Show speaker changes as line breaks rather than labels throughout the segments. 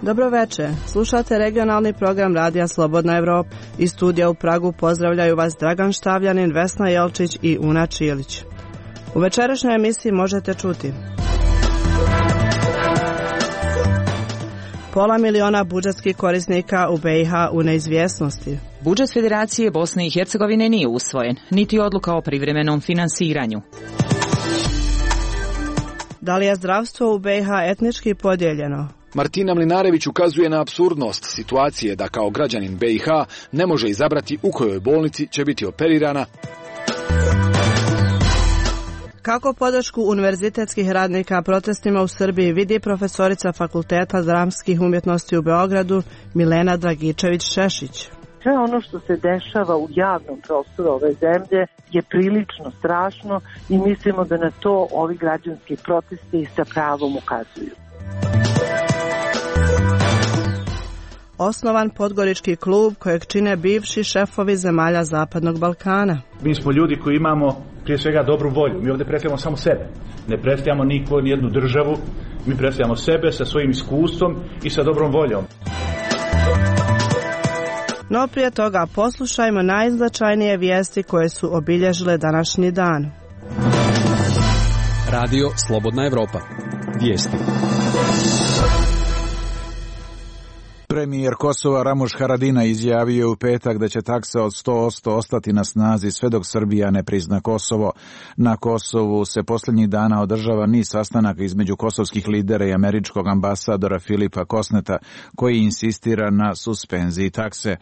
Dobro večer, slušate regionalni program Radija Slobodna Evropa. Iz studija u Pragu pozdravljaju vas Dragan Štavljanin, Vesna Jelčić i Una Čilić. U večerašnjoj emisiji možete čuti: 500 000 budžetskih korisnika u BiH u neizvjesnosti.
Budžet Federacije Bosne i Hercegovine nije usvojen, niti odluka o privremenom finansiranju.
Da li je zdravstvo u BiH etnički podijeljeno?
Martina Mlinarević ukazuje na apsurdnost situacije da kao građanin BiH ne može izabrati u kojoj bolnici će biti operirana.
Kako podršku univerzitetskih radnika protestima u Srbiji vidi profesorica Fakulteta dramskih umjetnosti u Beogradu Milena Dragičević-Šešić.
Sve ono što se dešava u javnom prostoru ove zemlje je prilično strašno i mislimo da na to ovi građanski protesti sa pravom ukazuju.
Osnovan Podgorički klub kojeg čine bivši šefovi zemalja Zapadnog Balkana.
Mi smo ljudi koji imamo prije svega dobru volju. Mi ovdje predstavljamo samo sebe. Ne predstavljamo nijednu državu. Mi predstavljamo sebe sa svojim iskustvom i sa dobrom voljom.
No prije toga poslušajmo najznačajnije vijesti koje su obilježile današnji dan.
Radio Slobodna Evropa. Vijesti.
Premijer Kosova Ramuš Haradinaj izjavio u petak da će taksa od 100% ostati na snazi sve dok Srbija ne prizna Kosovo. Na Kosovu se posljednjih dana održava niz sastanaka između kosovskih lidera i američkog ambasadora Filipa Kosneta, koji insistira na suspenziji takse.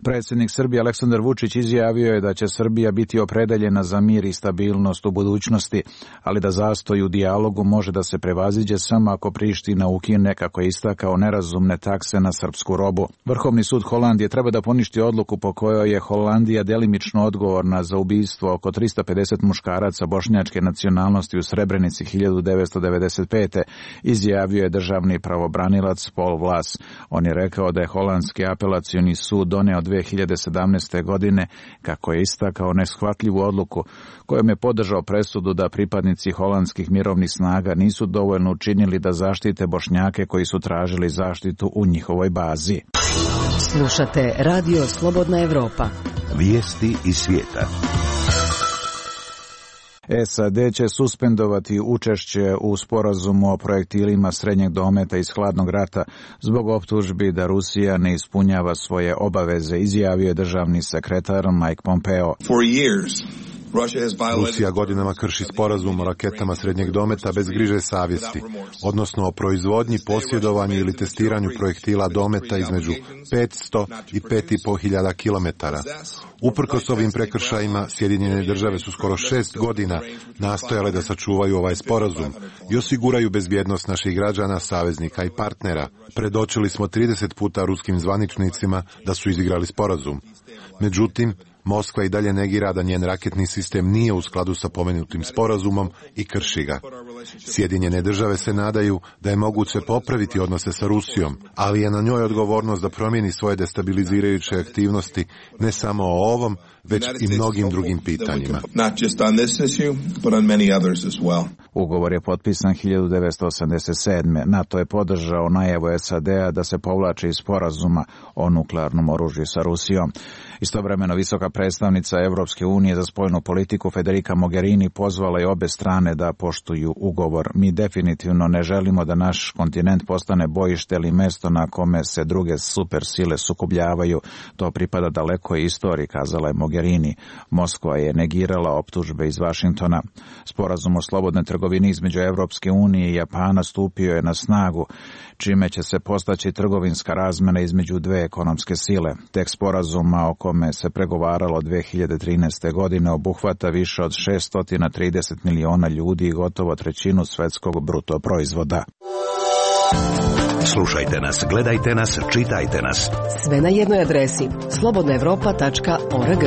Predsjednik Srbije Aleksandar Vučić izjavio je da će Srbija biti opredeljena za mir i stabilnost u budućnosti, ali da zastoj u dijalogu može da se prevaziđe samo ako Priština ukine, kako je istakao, nerazumne takse na srpsku robu. Vrhovni sud Holandije treba da poništi odluku po kojoj je Holandija delimično odgovorna za ubistvo oko 350 muškaraca bošnjačke nacionalnosti u Srebrenici 1995. izjavio je državni pravobranilac Paul Vlas. On je rekao da je holandski apelacioni sud doneo 2017. godine, kako je istakao, neshvatljivu odluku kojom je podržao presudu da pripadnici holandskih mirovnih snaga nisu dovoljno učinili da zaštite Bošnjake koji su tražili zaštitu u njihovoj bazi.
Slušate Radio Slobodna Evropa.
Vijesti iz svijeta.
SAD će suspendovati učešće u sporazumu o projektilima srednjeg dometa iz hladnog rata zbog optužbi da Rusija ne ispunjava svoje obaveze, izjavio je državni sekretar Mike Pompeo.
Rusija godinama krši sporazum o raketama srednjeg dometa bez griže savjesti, odnosno o proizvodnji, posjedovanju ili testiranju projektila dometa između 500 i 5.500 kilometara. Uprkos ovim prekršajima, Sjedinjene države su skoro 6 godina nastojale da sačuvaju ovaj sporazum i osiguraju bezbjednost naših građana, saveznika i partnera. Predočili smo 30 puta ruskim zvaničnicima da su izigrali sporazum. Međutim, Moskva i dalje negira da njen raketni sistem nije u skladu sa pomenutim sporazumom i krši ga. Sjedinjene države se nadaju da je moguće popraviti odnose sa Rusijom, ali je na njoj odgovornost da promijeni svoje destabilizirajuće aktivnosti ne samo o ovom, već i mnogim drugim pitanjima.
Ugovor je potpisan 1987. NATO je podržao najavu SAD-a da se povlači iz sporazuma o nuklearnom oružju sa Rusijom. Istovremeno visoka predstavnica Evropske unije za spoljnu politiku Federica Mogherini pozvala je obe strane da poštuju ugovor. Mi definitivno ne želimo da naš kontinent postane bojište ili mesto na kome se druge supersile sukobljavaju. To pripada dalekoj istoriji, kazala je Mogherini. Moskva je negirala optužbe iz Vašingtona. Sporazum o slobodnoj trgovini između Evropske unije i Japana stupio je na snagu, čime će se postaći trgovinska razmjena između dve ekonomske sile. Tekst sporazuma o kome se pregovaralo 2013. godine obuhvata više od 630 miliona ljudi i gotovo trećinu svjetskog bruto proizvoda.
Slušajte nas, gledajte nas, čitajte nas.
Sve na jednoj adresi slobodnaevropa.org.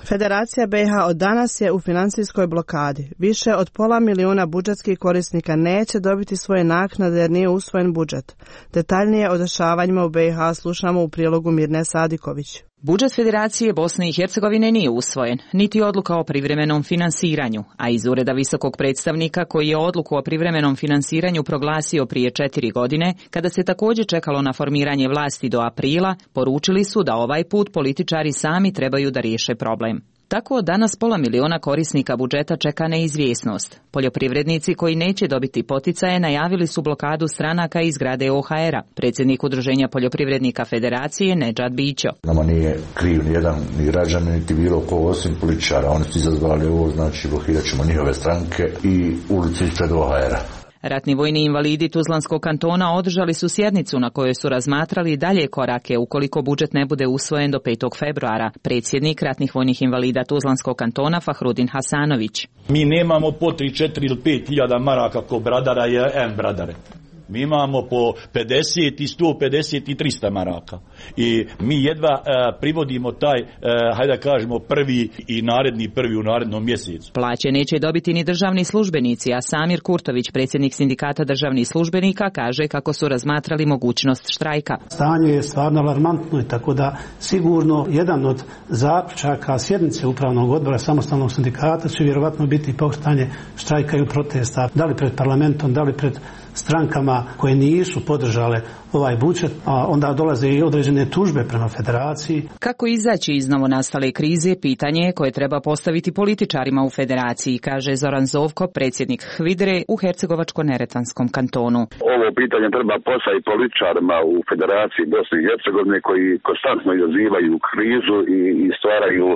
Federacija BiH od danas je u financijskoj blokadi. Više od 500 000 budžetskih korisnika neće dobiti svoje naknade jer nije usvojen budžet. Detaljnije o dešavanjima u BiH slušamo u prilogu Mirne Sadiković.
Budžet Federacije Bosne i Hercegovine nije usvojen, niti odluka o privremenom finansiranju, a iz Ureda visokog predstavnika koji je odluku o privremenom finansiranju proglasio prije 4 godine, kada se također čekalo na formiranje vlasti do aprila, poručili su da ovaj put političari sami trebaju da riješe problem. Tako danas 500.000 korisnika budžeta čeka neizvjesnost. Poljoprivrednici koji neće dobiti poticaje najavili su blokadu stranaka iz zgrade OHR-a. Predsjednik Udruženja poljoprivrednika Federacije Nedžad Bićo.
Nama nije kriv ni jedan ni građanin niti bilo ko osim političara. Oni su izazvali ovo, znači blokirat ćemo njihove stranke i ulicu ispred OHR-a.
Ratni vojni invalidi Tuzlanskog kantona održali su sjednicu na kojoj su razmatrali dalje korake ukoliko budžet ne bude usvojen do 5. februara. Predsjednik ratnih vojnih invalida Tuzlanskog kantona Fahrudin Hasanović.
Mi nemamo po 3, 4 ili 5 hiljada maraka ko bradara i bradare. Mi imamo po 50 i 150 i 300 maraka. I mi jedva privodimo taj, hajde da kažemo, prvi i prvi u narednom mjesecu.
Plaće neće dobiti ni državni službenici, a Samir Kurtović, predsjednik sindikata državnih službenika, kaže kako su razmatrali mogućnost štrajka.
Stanje je stvarno alarmantno i tako da sigurno jedan od zaključaka sjednice upravnog odbora samostalnog sindikata će vjerovatno biti pokretanje štrajka i protesta, da li pred parlamentom, da li pred strankama koje nisu podržale ovaj budžet, a onda dolaze i određene tužbe prema federaciji.
Kako izaći iz novonastale krize, pitanje koje treba postaviti političarima u federaciji, kaže Zoran Zovko, predsjednik HVIDRE u Hercegovačko-Neretvanskom kantonu.
Ovo pitanje treba postaviti političarima u federaciji Bosne i Hercegovine koji konstantno izazivaju krizu i stvaraju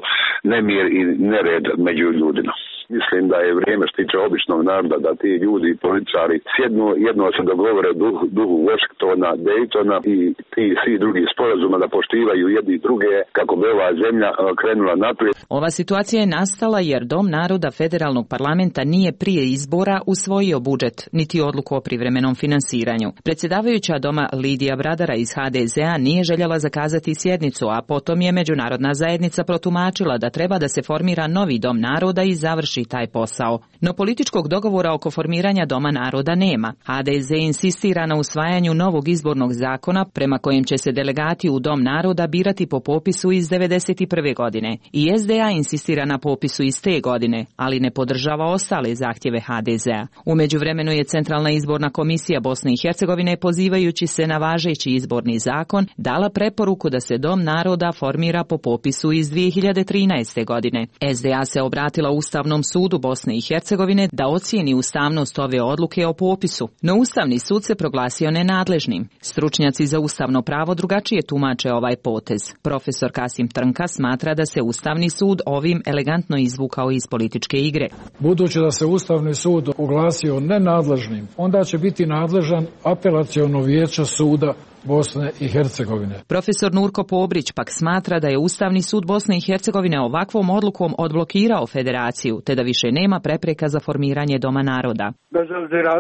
nemir i nered među ljudima. Mislim da je vrijeme što tiče običnog naroda da ti ljudi i političari sjednu, jedno se dogovore duhu Washingtona, Daytona i ti svi drugi sporazuma da poštivaju jedni druge kako bi ova zemlja krenula naprijed.
Ova situacija je nastala jer Dom naroda federalnog parlamenta nije prije izbora usvojio budžet niti odluku o privremenom finansiranju. Predsjedavajuća doma Lidija Bradara iz HDZ-a nije željela zakazati sjednicu, a potom je međunarodna zajednica protumačila da treba da se formira novi Dom naroda i završi taj posao. No političkog dogovora oko formiranja Doma naroda nema. HDZ insistira na usvajanju novog izbornog zakona prema kojem će se delegati u Dom naroda birati po popisu iz 1991. godine. I SDA insistira na popisu iz te godine, ali ne podržava ostale zahtjeve HDZ-a. U međuvremenu je Centralna izborna komisija Bosne i Hercegovine, pozivajući se na važeći izborni zakon, dala preporuku da se Dom naroda formira po popisu iz 2013. godine. SDA se obratila Ustavnom sudu Bosne i Hercegovine da ocijeni ustavnost ove odluke o popisu, no Ustavni sud se proglasio nenadležnim. Stručnjaci za ustavno pravo drugačije tumače ovaj potez. Profesor Kasim Trnka smatra da se Ustavni sud ovim elegantno izvukao iz političke igre.
Budući da se Ustavni sud oglasio nenadležnim, onda će biti nadležan apelaciono vijeće suda Bosne i Hercegovine.
Profesor Nurko Pobrić pak smatra da je Ustavni sud Bosne i Hercegovine ovakvom odlukom odblokirao federaciju, te da više nema prepreka za formiranje Doma naroda.
Bez obzira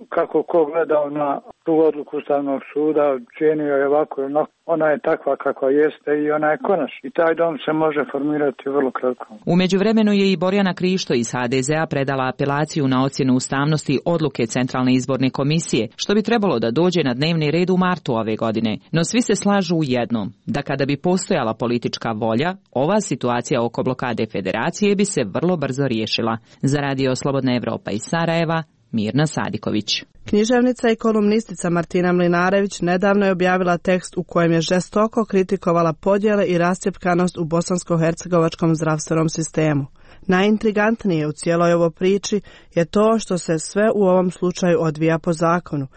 kako ko gledao na tu odluku Ustavnog suda, cijenio je ovako, ona je takva kakva jeste i ona je konačna. I taj dom se može formirati vrlo kratko.
U međuvremenu je i Borjana Krišto iz HDZ-a predala apelaciju na ocjenu ustavnosti odluke Centralne izborne komisije, što bi trebalo da dođe na dnevni red u martu ove godine. No svi se slažu u jednom, da kada bi postojala politička volja, ova situacija oko blokade federacije bi se vrlo brzo riješila. Za Radio Slobodna Evropa iz Sarajeva, Mirna Sadiković.
Književnica i kolumnistica Martina Mlinarević nedavno je objavila tekst u kojem je žestoko kritikovala podjele i rascjepkanost u bosansko-hercegovačkom zdravstvenom sistemu. Najintrigantnije u cijeloj ovoj priči je to što se sve u ovom slučaju odvija po zakonu,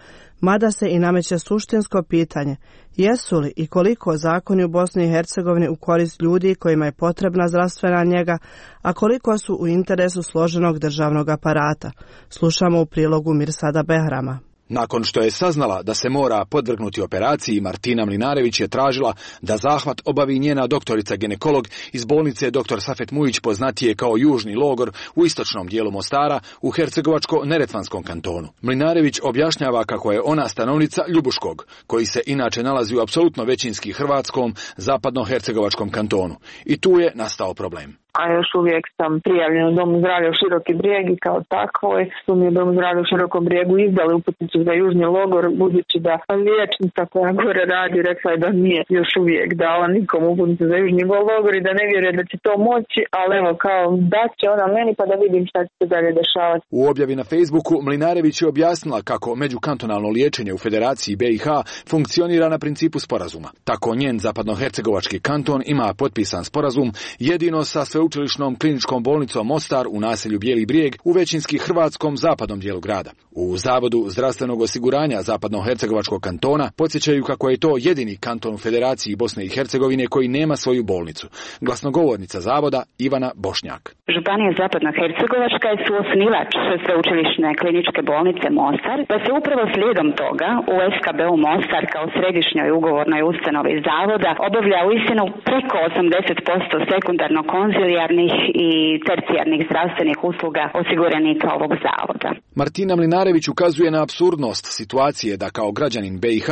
mada se i nameće suštinsko pitanje jesu li i koliko zakoni u Bosni i Hercegovini u korist ljudi kojima je potrebna zdravstvena njega, a koliko su u interesu složenog državnog aparata. Slušamo u prilogu Mirsada Behrama.
Nakon što je saznala da se mora podvrgnuti operaciji, Martina Mlinarević je tražila da zahvat obavi njena doktorica ginekolog iz bolnice dr. Safet Mujić, poznatije kao Južni logor u istočnom dijelu Mostara u Hercegovačko-Neretvanskom kantonu. Mlinarević objašnjava kako je ona stanovnica Ljubuškog, koji se inače nalazi u apsolutno većinski hrvatskom zapadno-hercegovačkom kantonu. I tu je nastao problem.
a još uvijek sam prijavljena u Domu zdravlja u Široki Brijeg i kao takvoj su mi u Domu zdravlja u Širokom Brijegu izdali uputnicu za Južni logor, budući da liječnica koja gore radi rekla je da nije još uvijek dala nikom uputnicu za Južni logor i da ne vjeruje da će to moći, ali evo kao da će ona meni pa da vidim šta će se dalje dešavati.
U objavi na Facebooku Mlinarević je objasnila kako međukantonalno liječenje u Federaciji BiH funkcionira na principu sporazuma. Tako njen zapadnohercegovački kanton ima potpisan sporazum jedino sa sveučilišnom kliničkom bolnicom Mostar u naselju Bijeli Brijeg u većinski hrvatskom zapadnom dijelu grada. U Zavodu zdravstvenog osiguranja zapadnohercegovačkog kantona podsjećaju kako je to jedini kanton u Federaciji Bosne i Hercegovine koji nema svoju bolnicu. Glasnogovornica zavoda Ivana Bošnjak.
Županija zapadnohercegovačka je suosnivač sveučilišne kliničke bolnice Mostar, pa se upravo slijedom toga u SKB-u Mostar kao središnjoj ugovornoj ustanovi zavoda obavlja uistinu preko 80% sekundarno-konzilijarnih i tercijarnih zdravstvenih usluga osiguranika ovog zavoda.
Martina Mlinarević ukazuje na apsurdnost situacije da kao građanin BiH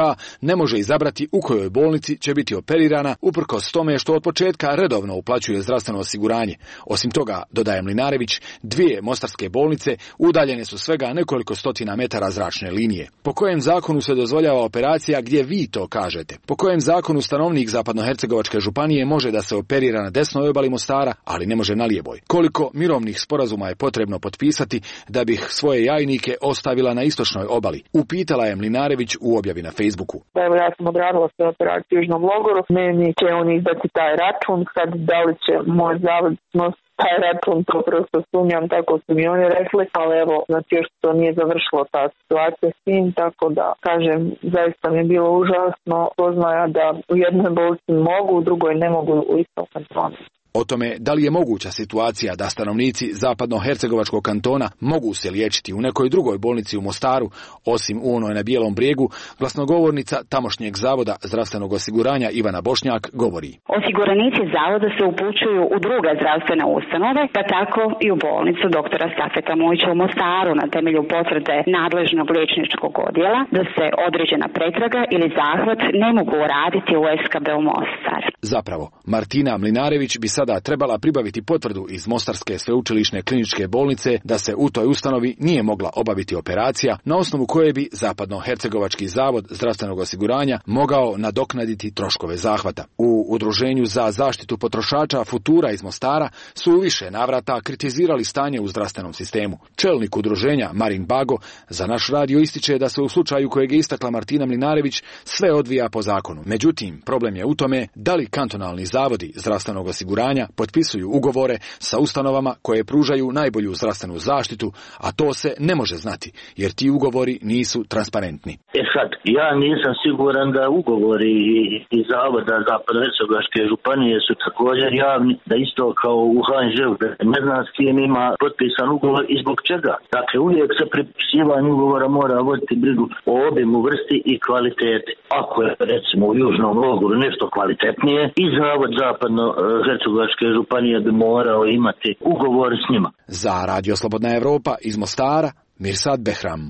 ne može izabrati u kojoj bolnici će biti operirana uprkos tome što od početka redovno uplaćuje zdravstveno osiguranje. Osim toga, dodaje Mlinarević, 2 mostarske bolnice udaljene su svega nekoliko stotina metara zračne linije. Po kojem zakonu se dozvoljava operacija gdje vi to kažete? Po kojem zakonu stanovnik zapadnohercegovačke županije može da se operira na desnoj obali Mostara, ali ne može na lijevoj? Koliko mirovnih sporazuma je potrebno potpisati da bih svoje jajnike ostavila na istočnoj obali? Upitala je Mlinarević u objavi na Facebooku.
Evo, ja sam odradila sve operacije u Južnom logoru, meni će on izdati taj račun, sad da li će moj zavod taj račun, to prosto sumnjam, tako su mi oni rekli, ali evo, znači još to nije završilo ta situacija s tim, tako da, kažem, zaista mi je bilo užasno poznaja da u jednoj bolnici mogu, u drugoj ne mogu u istom kantonu.
O tome da li je moguća situacija da stanovnici zapadnohercegovačkog kantona mogu se liječiti u nekoj drugoj bolnici u Mostaru, osim u onoj na Bijelom Brijegu, glasnogovornica tamošnjeg zavoda zdravstvenog osiguranja Ivana Bošnjak govori.
Osiguranici zavoda se upućuju u druge zdravstvene ustanove, pa tako i u bolnicu doktora Safeta Mujića u Mostaru na temelju potvrde nadležnog liječničkog odjela da se određena pretraga ili zahvat ne mogu raditi u SKB u Mostar.
Zapravo, Martina Mlinarević bi sada trebala pribaviti potvrdu iz Mostarske sveučilišne kliničke bolnice da se u toj ustanovi nije mogla obaviti operacija na osnovu koje bi Zapadnohercegovački zavod zdravstvenog osiguranja mogao nadoknaditi troškove zahvata. U Udruženju za zaštitu potrošača Futura iz Mostara su u više navrata kritizirali stanje u zdravstvenom sistemu. Čelnik udruženja Marin Bago za naš radio ističe da se u slučaju kojeg je istakla Martina Mlinarević sve odvija po zakonu. Međutim, problem je u tome da li kantonalni zavodi zdravstvenog osiguranja potpisuju ugovore sa ustanovama koje pružaju najbolju zdravstvenu zaštitu, a to se ne može znati, jer ti ugovori nisu transparentni.
Sad, ja nisam siguran da ugovori i zavoda Zapadnohercegovačke županije su također javni, da isto kao u HNŽ-u, ne znam s kim ima potpisan ugovor i zbog čega. Dakle, uvijek sa pripisivanjem ugovora mora voditi brigu o obimu, vrsti i kvaliteti. Ako je, recimo, u Južnom logoru nešto kvalitetnije, i zavod Zapadnohercegovačke županije bi morao imati ugovor s njima.
Za Radio Slobodna Evropa iz Mostara, Mirsad Behram.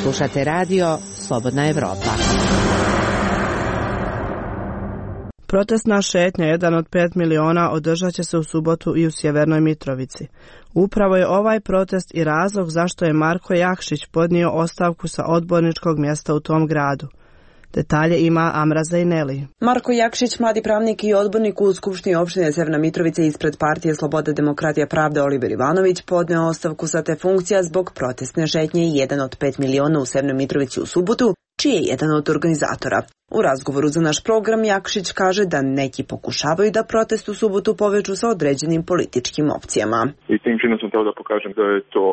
Slušate radio Slobodna Evropa.
Protestna šetnja, jedan od 5 miliona, održat će se u subotu i u Sjevernoj Mitrovici. Upravo je ovaj protest i razlog zašto je Marko Jakšić podnio ostavku sa odborničkog mjesta u tom gradu. Detalje ima Amra Zajneli.
Marko Jakšić, mladi pravnik i odbornik u Skupštini opštine Sjeverna Mitrovica ispred partije Sloboda, demokratija, pravda Oliver Ivanović podneo ostavku sa te funkcija zbog protestne šetnje jedan od 5 miliona u Sjevernoj Mitrovici u subotu, čiji je jedan od organizatora. U razgovoru za naš program Jakšić kaže da neki pokušavaju da protest u subotu povežu sa određenim političkim opcijama.
I tim činom sam htio da pokažem da je to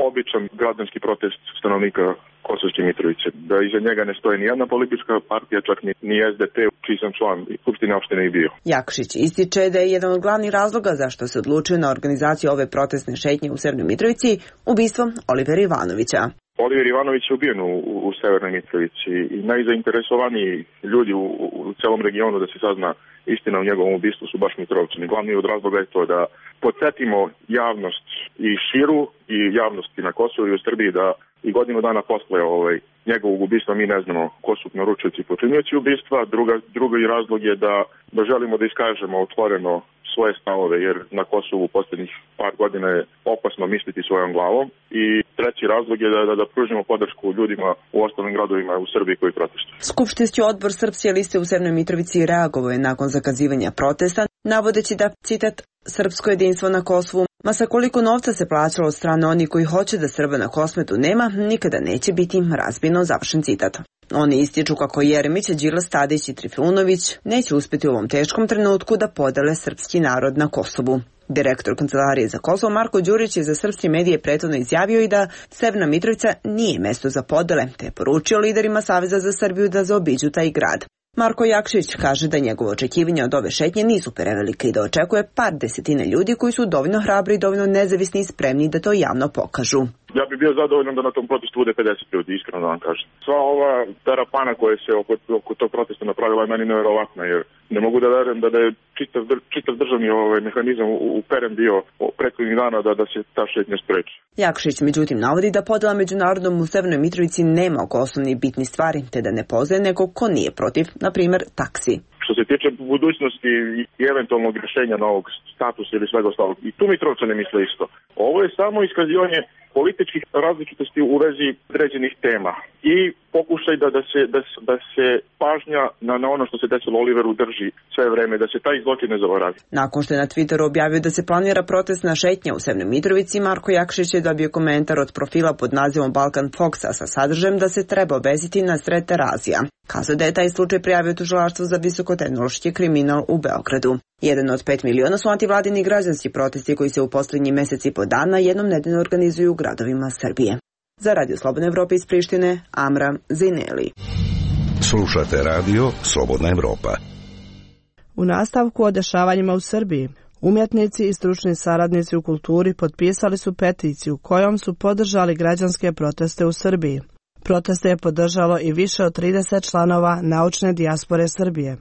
običan građanski protest stanovnika Kosovske Mitrovice, da iza njega ne stoji ni jedna politička partija, čak ni SDP, čiji sam član i Skupštine opštine i bio.
Jakšić ističe da je jedan od glavnih razloga zašto se odlučio na organizaciju ove protestne šetnje u Sjevernoj Mitrovici ubistvo Olivera Ivanovića.
Oliver Ivanović je ubijen u Sjevernoj Mitrovici i najzainteresovaniji ljudi u celom regionu da se sazna istina o njegovom ubistvu su baš Mitrovčani. Glavni od razloga je to da podsjetimo javnost i širu i javnosti na Kosovu i u Srbiji da i godinu dana posle njegovog ubistva mi ne znamo ko su naručioci i počinioci ubistva. Drugi razlog je da želimo da iskažemo otvoreno svoje stavove, jer na Kosovu u posljednjih par godina je opasno misliti svojom glavom. I treći razlog je da pružimo podršku ljudima u ostalim gradovima u Srbiji koji protestuju.
Skupštinski odbor Srpske liste u Severnoj Mitrovici reagovao je nakon zakazivanja protesta, navodeći da, citat, srpsko jedinstvo na Kosovu, ma sa koliko novca se plaćalo od strane onih koji hoće da Srba na Kosmetu nema, nikada neće biti razbijeno, završen citat. Oni ističu kako Jeremić, Đilas, Tadić i Trifunović neće uspjeti u ovom teškom trenutku da podele srpski narod na Kosovu. Direktor Kancelarije za Kosovo Marko Đurić je za srpske medije prethodno izjavio i da Severna Mitrovica nije mesto za podele, te je poručio liderima Saveza za Srbiju da zaobiđu taj grad. Marko Jakšić kaže da njegove očekivanja od ove šetnje nisu prevelike i da očekuje par desetina ljudi koji su dovoljno hrabri i dovoljno nezavisni i spremni da to javno pokažu.
Ja bih bio zadovoljan da na tom protestu bude 50 ljudi, iskreno da vam kažem. Sva ova terapana koja se oko tog protesta napravila je meni nevjerovatna, jer ne mogu da verujem da je čitav državni mehanizam uperen bio prethodnih dana da se ta šetnja spreči.
Jakšić međutim navodi da podela međunarodnom u Severnoj Mitrovici nema oko osnovnih bitnih stvari, te da ne poznaje nekog ko nije protiv, na primjer, taksi.
Što se tiče budućnosti i eventualnog rješenja novog statusa ili svega ostalog, i tu Mitrovce ne misle isto. Ovo je samo iskazivanje političkih različitosti u vezi određenih tema i pokušaj da se pažnja na ono što se desilo Oliveru drži sve vreme, da se taj zločin ne zaboravi.
Nakon što je na Twitteru objavio da se planira protestna šetnja u Severnoj Mitrovici, Marko Jakšić je dobio komentar od profila pod nazivom Balkan Foxa sa sadržajem da se treba obeziti na sred Terazija. Kazao da je taj slučaj prijavio tužilaštvo za visokotehnološki kriminal u Beogradu. Jedan od 5 miliona su antivladini građanski protesti koji se u posljednji mjesec i po dana jednom nedeljno organizuju u gradovima Srbije. Za Radio Slobodna Evropa iz Prištine, Amra Zineli.
Slušate radio Slobodna Evropa.
U nastavku o dešavanjima u Srbiji, umjetnici i stručni saradnici u kulturi potpisali su peticiju kojom su podržali građanske proteste u Srbiji. Proteste je podržalo i više od 30 članova naučne dijaspore Srbije.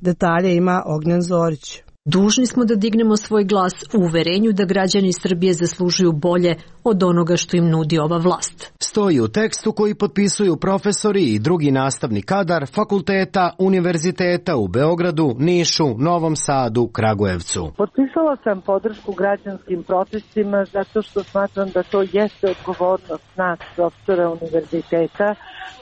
Detalje ima Ognjen Zorić.
Dužni smo da dignemo svoj glas u uverenju da građani Srbije zaslužuju bolje od onoga što im nudi ova vlast.
Stoji u tekstu koji potpisuju profesori i drugi nastavni kadar fakulteta, univerziteta u Beogradu, Nišu, Novom Sadu, Kragujevcu.
Potpisala sam podršku građanskim protestima zato što smatram da to jeste odgovornost nas, profesora univerziteta,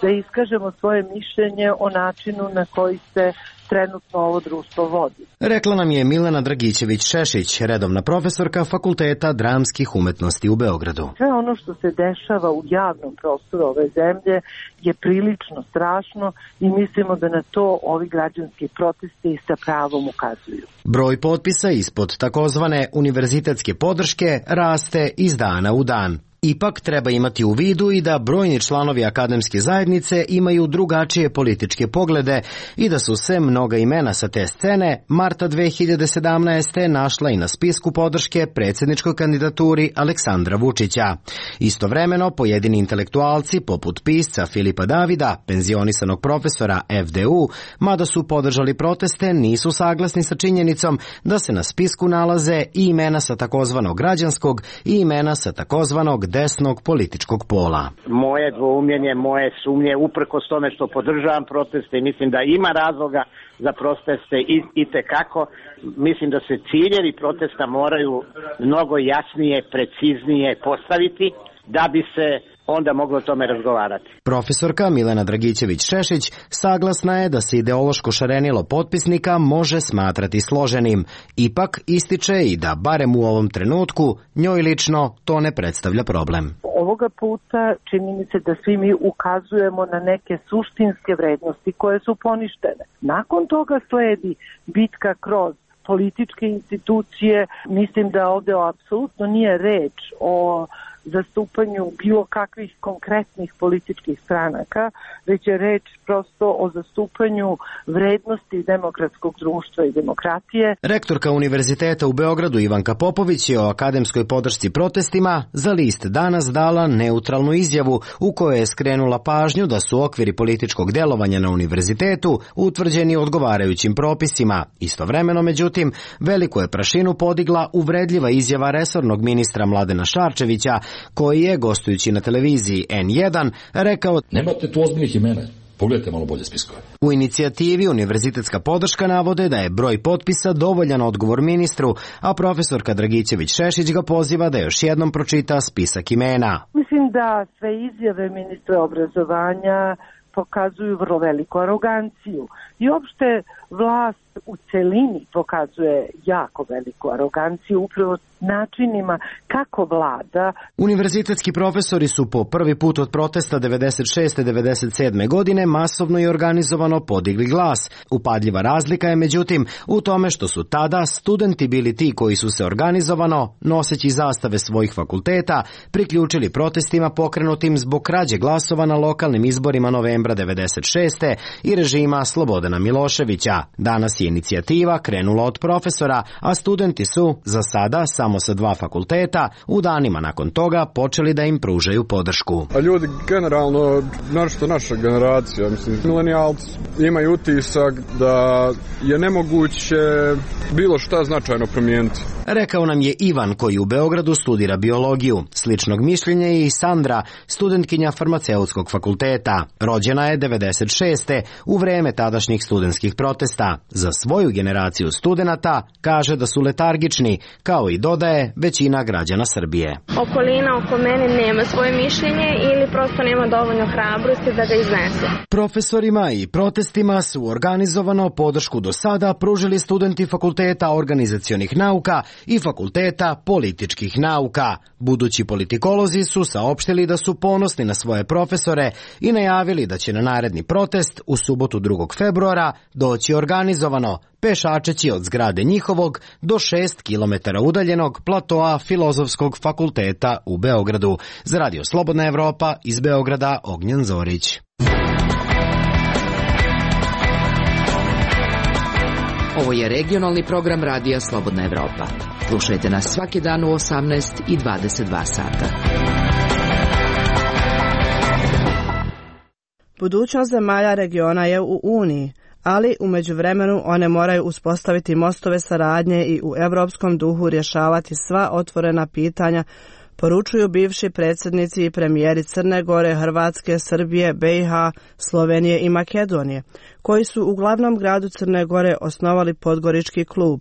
da iskažemo svoje mišljenje o načinu na koji se trenutno ovo društvo vodi.
Rekla nam je Milena Dragićević-Šešić, redovna profesorka Fakulteta dramskih umetnosti u Beogradu.
Sve ono što se dešava u javnom prostoru ove zemlje je prilično strašno i mislimo da na to ovi građanski protesti sa pravom ukazuju.
Broj potpisa ispod takozvane univerzitetske podrške raste iz dana u dan. Ipak treba imati u vidu i da brojni članovi akademske zajednice imaju drugačije političke poglede i da su se mnoga imena sa te scene marta 2017. našla i na spisku podrške predsjedničkoj kandidaturi Aleksandra Vučića. Istovremeno, pojedini intelektualci poput pisca Filipa Davida, penzionisanog profesora FDU, mada su podržali proteste, nisu saglasni sa činjenicom da se na spisku nalaze i imena sa takozvanog građanskog i imena sa takozvanog desnog političkog pola.
Moje dvoumljenje, moje sumnje, uprkos tome što podržavam proteste i mislim da ima razloga za proteste i tekako, mislim da se ciljevi protesta moraju mnogo jasnije, preciznije postaviti da bi se onda moglo o tome razgovarati.
Profesorka Milena Dragićević-Šešić saglasna je da se ideološko šarenilo potpisnika može smatrati složenim. Ipak ističe i da, barem u ovom trenutku, njoj lično to ne predstavlja problem.
Ovoga puta čini mi se da svi mi ukazujemo na neke suštinske vrednosti koje su poništene. Nakon toga sledi bitka kroz političke institucije. Mislim da ovdje apsolutno nije reč o zastupanju bilo kakvih konkretnih političkih stranaka, već je reč prosto o zastupanju vrednosti demokratskog društva i demokratije.
Rektorka Univerziteta u Beogradu Ivanka Popović je o akademskoj podršci protestima za list Danas dala neutralnu izjavu u kojoj je skrenula pažnju da su okviri političkog delovanja na univerzitetu utvrđeni odgovarajućim propisima. Istovremeno, međutim, veliku je prašinu podigla uvredljiva izjava resornog ministra Mladena Šarčevića, koji je, gostujući na televiziji N1, rekao:
Nemate tu ozbiljnih imena.
Pogledajte malo bolje spiskove.
U inicijativi Univerzitetska podrška navode da je broj potpisa dovoljan odgovor ministru, a profesorka Dragićević-Šešić ga poziva da još jednom pročita spisak imena.
Mislim da sve izjave ministra obrazovanja pokazuju vrlo veliku aroganciju i uopšte vlast u celini pokazuje jako veliku aroganciju upravo načinima kako vlada.
Univerzitetski profesori su po prvi put od protesta 96. 97. godine masovno i organizovano podigli glas. Upadljiva razlika je međutim u tome što su tada studenti bili ti koji su se organizovano, noseći zastave svojih fakulteta, priključili protestima pokrenutim zbog krađe glasova na lokalnim izborima novembra 96. i režima Slobodana Miloševića. Danas je inicijativa krenula od profesora, a studenti su, za sada samo sa 2 fakulteta, u danima nakon toga počeli da im pružaju podršku.
A ljudi generalno, našto naša generacija, mislim, milenijalci, imaju utisak da je nemoguće bilo šta značajno promijeniti.
Rekao nam je Ivan koji u Beogradu studira biologiju. Sličnog mišljenja je i Sandra, studentkinja farmaceutskog fakulteta. Rođena je 96. u vreme tadašnjih studentskih protesta. Za svoju generaciju studenata kaže da su letargični, kao i dodaje većina građana Srbije.
Okolina oko mene nema svoje mišljenje ili prosto nema dovoljno hrabrosti da ga iznese.
Profesorima i protestima su organizovano podršku do sada pružili studenti fakulteta organizacionih nauka i fakulteta političkih nauka. Budući politikolozi su saopštili da su ponosni na svoje profesore i najavili da će na naredni protest u subotu 2. februara doći organizovano, pešačeći od zgrade njihovog do 6 km udaljenog platoa Filozofskog fakulteta u Beogradu. Za Radio Slobodna Evropa iz Beograda, Ognjen Zorić.
Ovo je regionalni program Radija Slobodna Evropa. Slušajte nas svaki dan u 18 i 22 sata.
Budućnost zemalja regiona je u Uniji, ali u međuvremenu one moraju uspostaviti mostove saradnje i u europskom duhu rješavati sva otvorena pitanja, poručuju bivši predsjednici i premijeri Crne Gore, Hrvatske, Srbije, BiH, Slovenije i Makedonije, koji su u glavnom gradu Crne Gore osnovali Podgorički klub.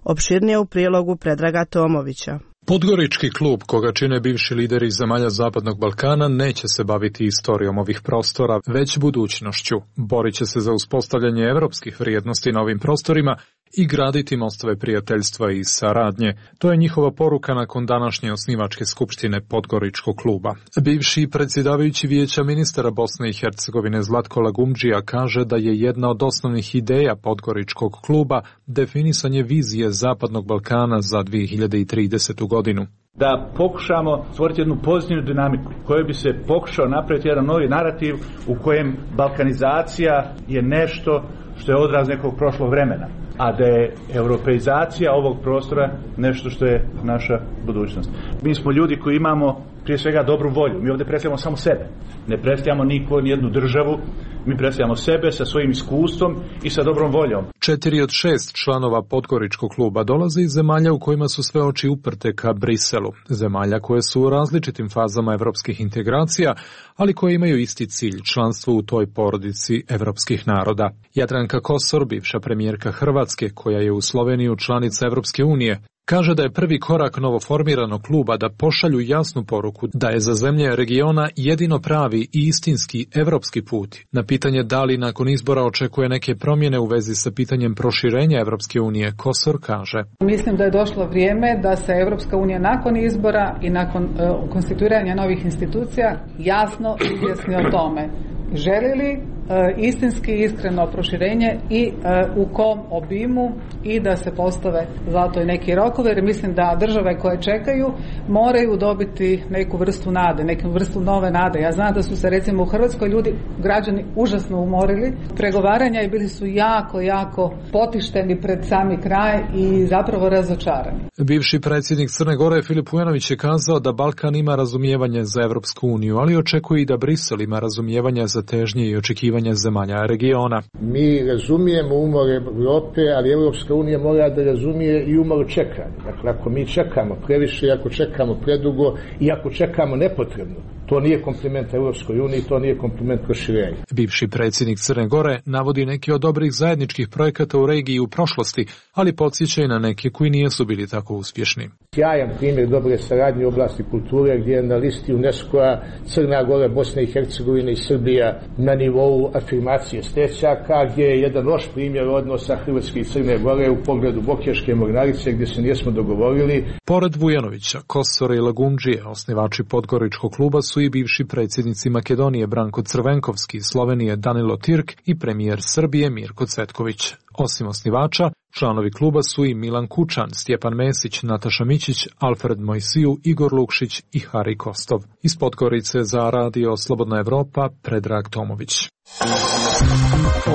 Opširnije u prilogu Predraga Tomovića.
Podgorički klub, koga čine bivši lideri zemalja Zapadnog Balkana, neće se baviti istorijom ovih prostora, već budućnošću. Borit će se za uspostavljanje evropskih vrijednosti na ovim prostorima i graditi mostove prijateljstva i saradnje. To je njihova poruka nakon današnje osnivačke skupštine Podgoričkog kluba. Bivši predsjedavajući Vijeća ministara Bosne i Hercegovine Zlatko Lagumdžija kaže da je jedna od osnovnih ideja Podgoričkog kluba definisanje vizije Zapadnog Balkana za 2030. godinu.
Da pokušamo stvoriti jednu pozitivnu dinamiku kojoj bi se pokušao napraviti jedan novi narativ u kojem balkanizacija je nešto što je odraz nekog prošlog vremena, a da je europeizacija ovog prostora nešto što je naša budućnost. Mi smo ljudi koji imamo prije svega dobru volju. Mi ovdje predstavljamo samo sebe. Ne predstavljamo nijednu državu, mi predstavljamo sebe sa svojim iskustvom i sa dobrom voljom.
4 od 6 članova Podgoričkog kluba dolaze iz zemalja u kojima su sve oči uprte ka Briselu. Zemalja koje su u različitim fazama evropskih integracija, ali koje imaju isti cilj, članstvo u toj porodici evropskih naroda. Jadranka Kosor, bivša premijerka Hrvatske, koja je u Sloveniju članica Evropske unije, kaže da je prvi korak novoformiranog kluba da pošalju jasnu poruku da je za zemlje regiona jedino pravi i istinski evropski put. Na pitanje da li nakon izbora očekuje neke promjene u vezi sa pitanjem proširenja Evropske unije, Kosor kaže:
Mislim da je došlo vrijeme da se Evropska unija nakon izbora i nakon konstituiranja novih institucija jasno izjasni o tome. Želi li istinski iskreno proširenje i u kom obimu i da se postave zato i neki rokovi, jer mislim da države koje čekaju moraju dobiti neku vrstu nade, neku vrstu nove nade. Ja znam da su se recimo u Hrvatskoj građani užasno umorili pregovaranja i bili su jako potišteni pred sami kraj i zapravo razočarani.
Bivši predsjednik Crne Gore Filip Vujanović je kazao da Balkan ima razumijevanje za Evropsku uniju, ali očekuje i da Brisel ima razumijevanje za težnje i očekivanje uključivanje zemalja regiona.
Mi razumijemo umor Europe, ali Europska unija mora da razumije i umor čekanja. Dakle, ako mi čekamo previše, ako čekamo predugo i ako čekamo nepotrebno, to nije kompliment Europskoj uniji, to nije kompliment proširenja.
Bivši predsjednik Crne Gore navodi neki od dobrih zajedničkih projekata u regiji u prošlosti, ali podsjeća i na neke koji nisu bili tako uspješni.
Sjajan primjer dobre saradnje u oblasti kulture gdje je na listi UNESCO-a Crna Gora, Bosna i Hercegovina i Srbija na nivou afirmacije stečaka, gdje je jedan loš primjer odnosa Hrvatske i Crne Gore u pogledu Bokeljske mornarice gdje se nismo dogovorili.
Pored Vujanovića, Kosora i Lagundžije, osnivači Podgoričkog kluba su i bivši predsjednici Makedonije Branko Crvenkovski, Slovenije Danilo Tirk i premijer Srbije Mirko Cvetković. Osim osnivača, članovi kluba su i Milan Kučan, Stjepan Mesić, Nataša Mićić, Alfred Mojsiju, Igor Lukšić i Hari Kostov. Iz Podgorice za radio Slobodna Evropa, Predrag Tomović.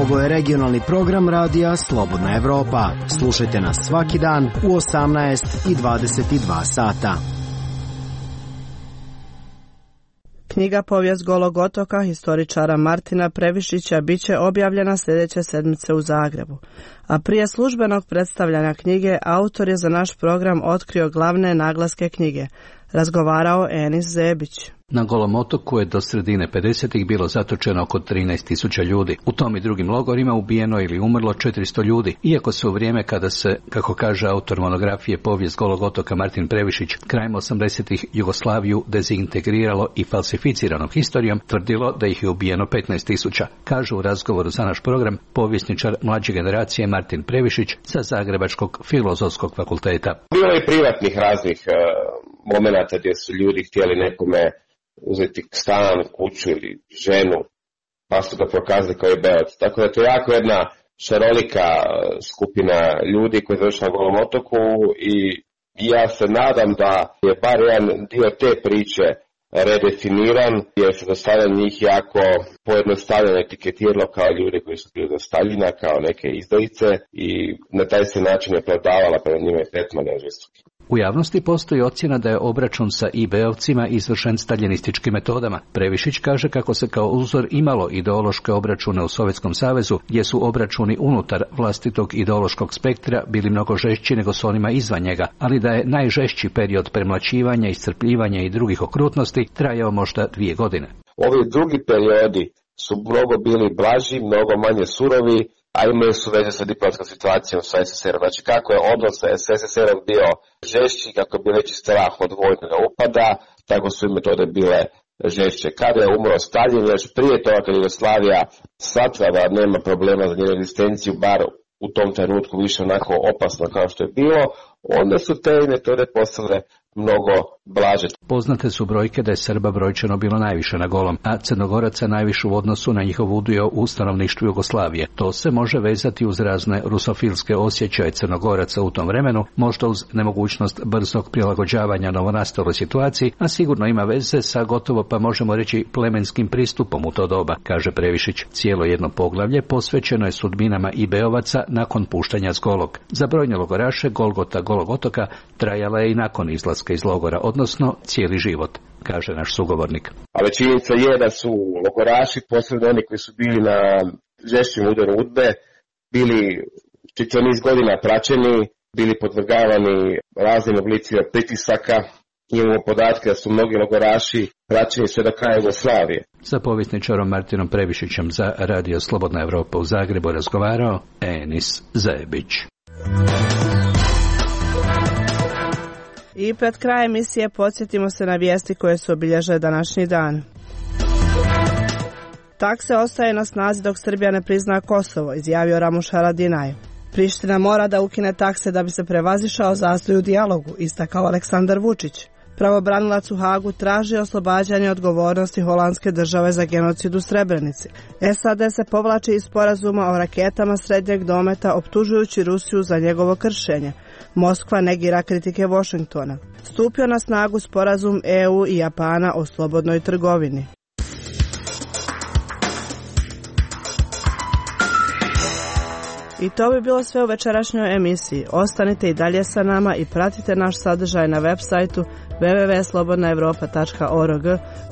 Ovo je regionalni program radija Slobodna Evropa. Slušajte nas svaki dan u 18 i 22 sata.
Knjiga Povijest Golog otoka historičara Martina Previšića biće objavljena sljedeće sedmice u Zagrebu. A prije službenog predstavljanja knjige, autor je za naš program otkrio glavne naglaske knjige. Razgovarao Enis Zebić.
Na Golom otoku je do sredine 50-ih bilo zatočeno oko 13.000 ljudi. U tom i drugim logorima ubijeno ili umrlo 400 ljudi. Iako se u vrijeme kada se, kako kaže autor monografije Povijest Golog otoka Martin Previšić, krajem 80-ih Jugoslaviju dezintegriralo i falsificirano historijom, tvrdilo da ih je ubijeno 15.000. Kaže u razgovoru za naš program povjesničar mlađe generacije Martin Previšić sa Zagrebačkog filozofskog fakulteta.
Bilo je privatnih raznih momenata gdje su ljudi htjeli nekome uzeti stan, kuću ili ženu, pa su ga prokazali kao i beoc. Tako da to je jako jedna šarolika skupina ljudi koji završi na Golom otoku i ja se nadam da je bar jedan dio te priče redefiniran, jer se do sada njih jako pojednostavljeno etiketiralo kao ljudi koji su bili do Staljina, kao neke izdajice i na taj se način je prodavala pred njima i tretman žestoki.
U javnosti postoji ocjena da je obračun sa IB-ovcima izvršen staljinističkim metodama. Previšić kaže kako se kao uzor imalo ideološke obračune u Sovjetskom savezu, gdje su obračuni unutar vlastitog ideološkog spektra bili mnogo žešći nego s onima izvan njega, ali da je najžešći period premlaćivanja, iscrpljivanja i drugih okrutnosti trajao možda 2 godine.
Ovi drugi periodi su mnogo bili blaži, mnogo manje surovi, a imaju su veze sa diplomatskom situacijom sa SSR-om. Znači kako je odnos sa SSR-om bio žešći, kako je bio veći strah od vojnog upada, tako su i metode bile žešće. Kada je umro Staljin, još prije toga kad Jugoslavija shvatila da nema problema za njenu egzistenciju, bar u tom trenutku više onako opasno kao što je bilo, onda su te metode postale mnogo blaže.
Poznate su brojke da je Srba brojčano bilo najviše na Golom, a Crnogoraca najviše u odnosu na njihov udio u stanovništvu Jugoslavije. To se može vezati uz razne rusofilske osjećaje Crnogoraca u tom vremenu, možda uz nemogućnost brzog prilagođavanja novonastaloj situaciji, a sigurno ima veze sa gotovo, pa možemo reći, plemenskim pristupom u to doba, kaže Previšić. Cijelo jedno poglavlje posvećeno je sudbinama IB-ovaca nakon puštanja s Golog. Za brojne logoraše Golgota Golog otoka trajala je i nakon izlaska iz logora, odnosno cijeli život, kaže naš sugovornik.
Ali činjenica je da su logoraši, posebno oni koji su bili na žešćem udaru UDBE, bili čitav niz godina praćeni, bili podvrgavani raznim oblicima pritisaka. Imamo podatke da su mnogi logoraši praćeni sve do kraja Jugoslavije.
Sa povjesničarom Martinom Previšićem za radio Slobodna Evropa u Zagrebu razgovarao Enis Zebić.
I pred krajem emisije podsjetimo se na vijesti koje su obilježile današnji dan. Takse ostaje na snazi dok Srbija ne prizna Kosovo, izjavio Ramuš Haradinaj. Priština mora da ukine takse da bi se prevazišao zastoj u dijalogu, istakao Aleksandar Vučić. Pravobranilac u Hagu traži oslobađanje odgovornosti holandske države za genocid u Srebrenici. SAD se povlači iz sporazuma o raketama srednjeg dometa, optužujući Rusiju za njegovo kršenje. Moskva negira kritike Washingtona. Stupio na snagu sporazum EU i Japana o slobodnoj trgovini. I to bi bilo sve u večerašnjoj emisiji. Ostanite i dalje sa nama i pratite naš sadržaj na web sajtu www.slobodnaevropa.org,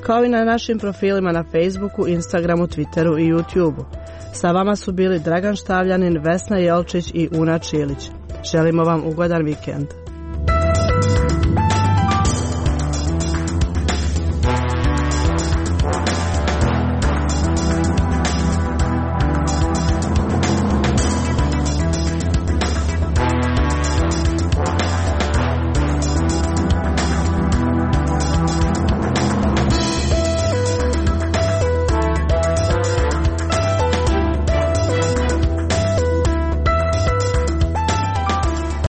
kao i na našim profilima na Facebooku, Instagramu, Twitteru i YouTubeu. Sa vama su bili Dragan Štavljanin, Vesna Jelčić i Una Čilić. Želimo vam ugodan vikend.